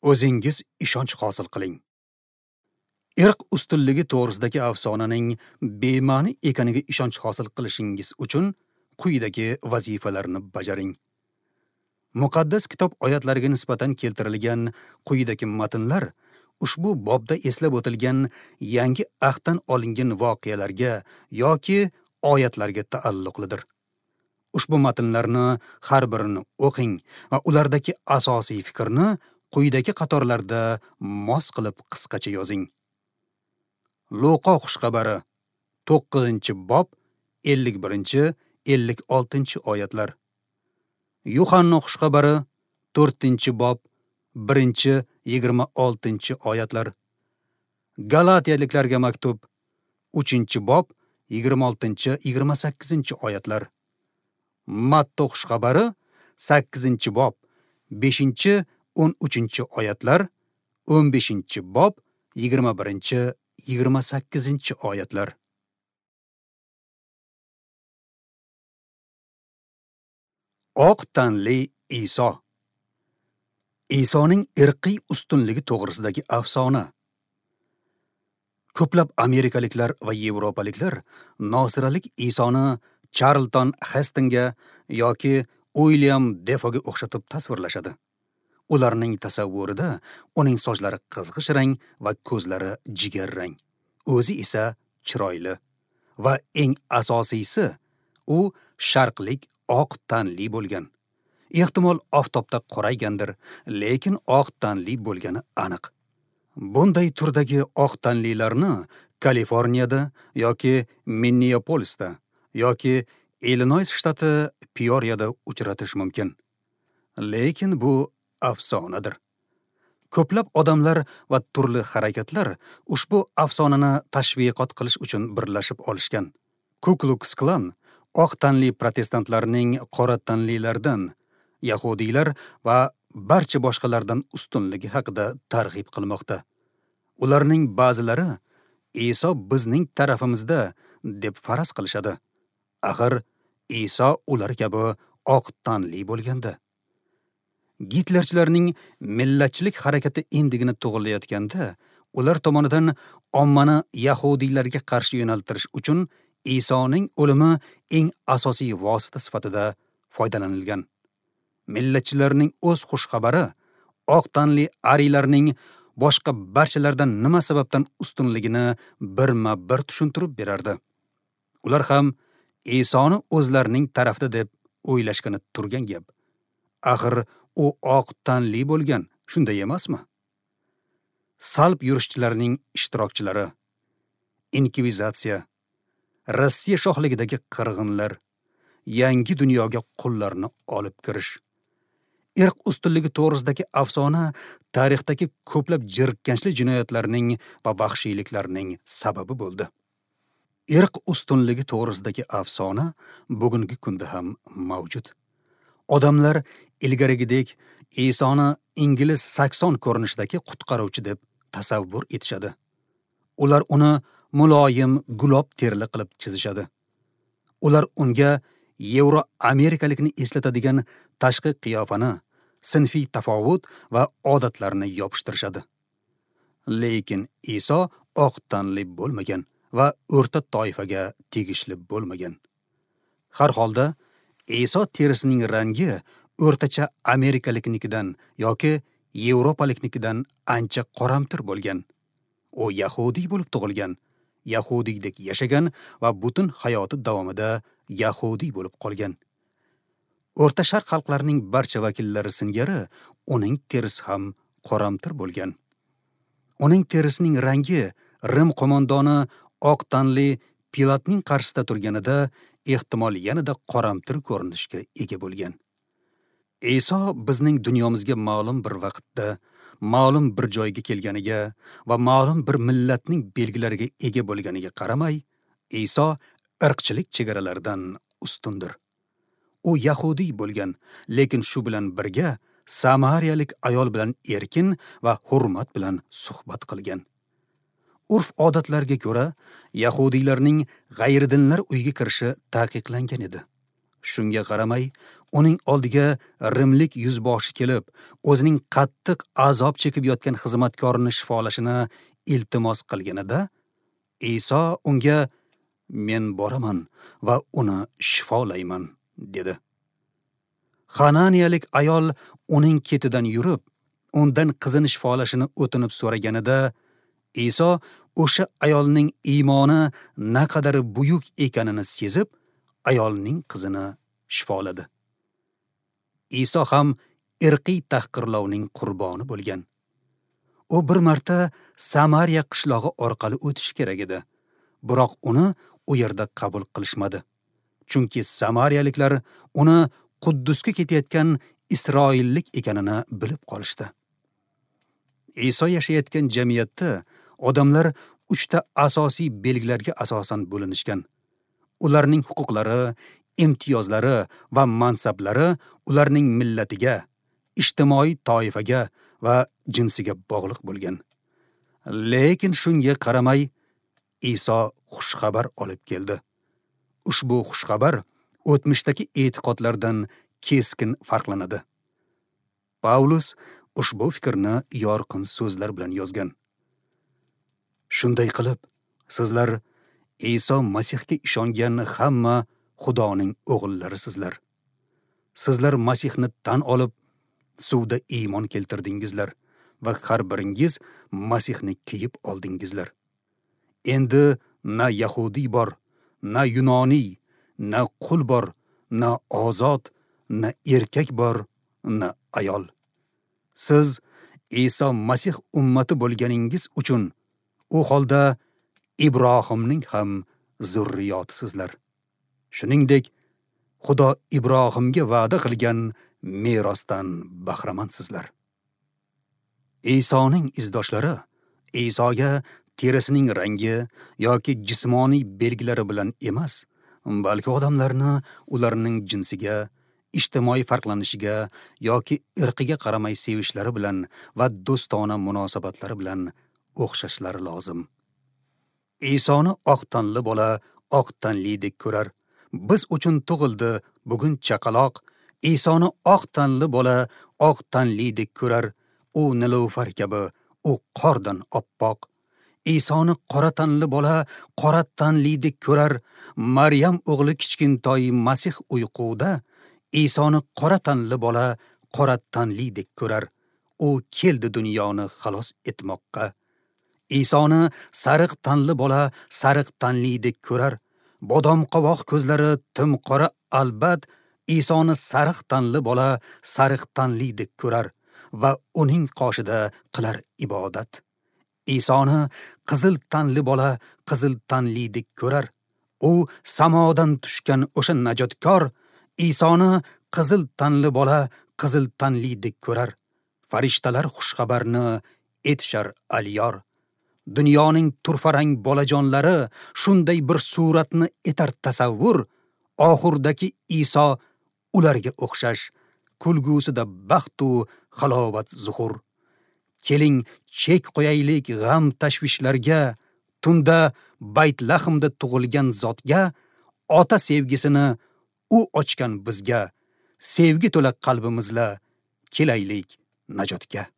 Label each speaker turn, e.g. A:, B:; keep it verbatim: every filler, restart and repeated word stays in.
A: O'zingiz ishonch hosil qiling. Irq ustunligi to'g'risidagi afsonaning bema'ni ekaniga ishonch hosil qilishingiz uchun quyidagi vazifalarni bajaring. Muqaddas kitob oyatlariga nisbatan keltirilgan quyidagi matnlar ushbu bobda eslab o'tilgan yangi ahddan olingan voqealarga yoki oyatlarga taalluqlidir. Ushbu matnlarni har birini o'qing va ulardagi asosiy fikrni quyidagi qatorlarda mos qilib qisqacha yozing. Luqo xushxabari to'qqizinchi bob ellik birinchi ellik oltinchi oyatlar. Yuhanna xushxabari to'rtinchi bob birinchi yigirma oltinchi oyatlar. Galatiyaliklarga maktub uchinchi bob yigirma oltinchi yigirma sakkizinchi oyatlar. Matto xushxabari sakkizinchi bob beshinchi o'n uchinchi oyatlar, o'n beshinchi bob yigirma birinchi yigirma sakkizinchi oyatlar. Oq tanli Iso. Isoning irqiy ustunligi to'g'risidagi afsona. Ko'plab amerikaliklar va yevropaliklar nosiralik Isoni Charlton Hestonga yoki Uilyam Defoga o'xshatib tasvirlashadi. Ularning tasavvurida uning sochlari qizg'ish rang va ko'zlari jigarrang, o'zi esa chiroyli va eng asosiysi u sharqlik oq tanli bo'lgan. Ehtimol oftobda qoraygandir, lekin oq tanli bo'lgani aniq. Bunday turdagi oq tanlilarni Kaliforniyada yoki Minneapolisda yoki Illinois shtati Peoriyada uchratish mumkin. Lekin bu afsonadir. Ko'plab odamlar va turli harakatlar ushbu afsonani tashviqot qilish uchun birlashib olishgan. Ku Klux Klan oq tanli protestantlarning qora tanlilardan, yahudiylar va barcha boshqalardan ustunligi haqida targ'ib qilmoqda. Ularning ba'zilari Iso bizning tarafimizda deb faraz qilishadi. Axir Iso ular kabi oq tanli bo'lganda. Gitlerchilarning millatchilik harakati endigina tug'ilayotganda, ular tomonidan ommani yahudiylarga qarshi yo'naltirish uchun Isoning o'limi eng asosiy vosita sifatida foydalanilgan. Millatchilarning o'z xushxabari oq tanli ariylarning boshqa barchalardan nima sababdan ustunligini birma-bir tushuntirib berardi. Ular ham Isoni o'zlarining tarafida deb o'ylashgani turgan gap. Axir u oq tanli bo'lgan, shunday emasmi? Salb yurishchilarning ishtirokchilari, inkvizitsiya, Rossiya shohligidagi qirg'inlar, yangi dunyoga qullarni olib kirish. Irq ustunligi to'g'risidagi afsona tarixdagi ko'plab jirkanchli jinoyatlarning va vahshiyliklarning sababi bo'ldi. Irq ustunligi to'g'risidagi afsona bugungi kunda ham mavjud. Odamlar ilgarigidek Isoni ingliz sakson ko'rinishidagi qutqaruvchi deb tasavvur etishadi. Ular uni muloyim gulob terili qilib chizishadi. Ular unga Yevro-amerikalikni eslatadigan tashqi qiyofani, sinfiy tafovut va odatlarni yopishtirishadi. Lekin Iso oq tanli bo'lmagan va o'rta toifaga tegishli bo'lmagan. Har holda Iso terisining rangi o'rtacha amerikaliknikidan yoki yevropaliknikidan ancha qoramtir bo'lgan. U yahudiy bo'lib tug'ilgan, yahudiydek yashagan va butun hayoti davomida yahudiy bo'lib qolgan. O'rta Sharq xalqlarining barcha vakillari singari uning terisi ham qoramtir bo'lgan. Uning terisining rangi Rim qo'mondoni oq tanli Pilatning qarshisida turganida ehtimol yanada qoramtir ko'rinishga ega bo'lgan. Iso bizning dunyomizga ma'lum bir vaqtda, ma'lum bir joyga kelganiga va ma'lum bir millatning belgilariga ega bo'lganiga qaramay, Iso irqchilik chegaralaridan ustundir. U yahudiy bo'lgan, lekin shu bilan birga samariyalik ayol bilan erkin va hurmat bilan suhbat qilgan. Urf-odatlarga ko'ra, yahudiylarning g'ayridinlar uyiga kirishi taqiqlangan edi. Shunga qaramay, Uning oldiga rimlik yuzboshi kelib, o'zining qattiq azob chekib yotgan xizmatkorini shifolashini iltimos qilganida, Iso unga "Men boraman va uni shifolayman" dedi. Xananiyalik ayol uning ketidan yurib, undan qizini shifolashini o'tinib so'raganida, Iso o'sha ayolning iymoni naqadar buyuk ekanini sezib, ayolning qizini shifoladi. Iso ham irqiy tahqirlovning qurboni bo'lgan. U bir marta Samariya qishlog'i orqali o'tishi kerak edi. Biroq uni u yerda qabul qilishmadi. Chunki samariyaliklar uni Quddusga ketayotgan isroillik ekanini bilib qolishdi. Iso yashayotgan jamiyatda odamlar uchta asosiy belgilarga asosan bo'linishgan. Ularning huquqlari, imtiyozlari va mansablari ularning millatiga, ijtimoiy toifaga va jinsiga bog'liq bo'lgan. Lekin shunga qaramay Iso xushxabar olib keldi. Ushbu xushxabar o'tmishdagi e'tiqodlardan keskin farqlanadi. Pavlus ushbu fikrni yorqin so'zlar bilan yozgan. Shunday qilib, sizlar Iso Masihga ishongan hamma Xudoning o'g'illarisizlar. Sizlar Masihni tan olib, suvda iymon keltirdingizlar va har biringiz Masihni kiyib oldingizlar. Endi na yahudiy bor, na yunoniy, na qul bor, na ozod, na erkak bor, na ayol. Siz Iso Masih ummati bo'lganingiz uchun u holda Ibrohimning ham zurriyotisizlar. Shuningdek, Xudo Ibrohimga va'da qilgan merosdan bahramandsizlar. Isoning izdoshlari Isoga terisining rangi yoki jismoniy belgilari bilan emas, balki odamlarni ularning jinsiga, ijtimoiy farqlanishiga yoki irqiga qaramay sevishlari bilan va do'stona munosabatlari bilan o'xshashlari lozim. Isoni oq tanli bola oq tanlidek ko'rar. Biz uchun tug'ildi bugun chaqaloq. Isoni oq tanli bola oq tanlidek ko'rar. U nilufar kabi, u qordan oppoq. Isoni qora tanli bola qora tanlidek ko'rar. Maryam o'g'li kichkintoy Masih uyquda Isoni qora tanli bola qora tanlidek ko'rar. U keldi dunyoni xalos etmoqqa. Isoni sariq tanli bola sariq tanlidek ko'rar. Bodom qovoq ko'zlari tim qora albat. Isoni sariq tanli bola sariq tanlidek ko'rar va uning qoshida qilar ibodat. Isoni qizil tanli bola qizil tanlidek ko'rar. U samodan tushgan o'sha najotkor. Isoni qizil tanli bola qizil tanlidek ko'rar. Farishtalar xushxabarni etishar aliyor. Dunyoning turfarang bolajonlari shunday bir suratni etar tasavvur. Oxirdagi Iso ularga o'xshash, kulgusida baxtu halovat zuhur. Keling, chek qo'yaylik g'am tashvishlarga, tunda Baytlahmda tug'ilgan zotga, ota sevgisini u ochgan bizga, sevgi to'la qalbimizla kelaylik najotga.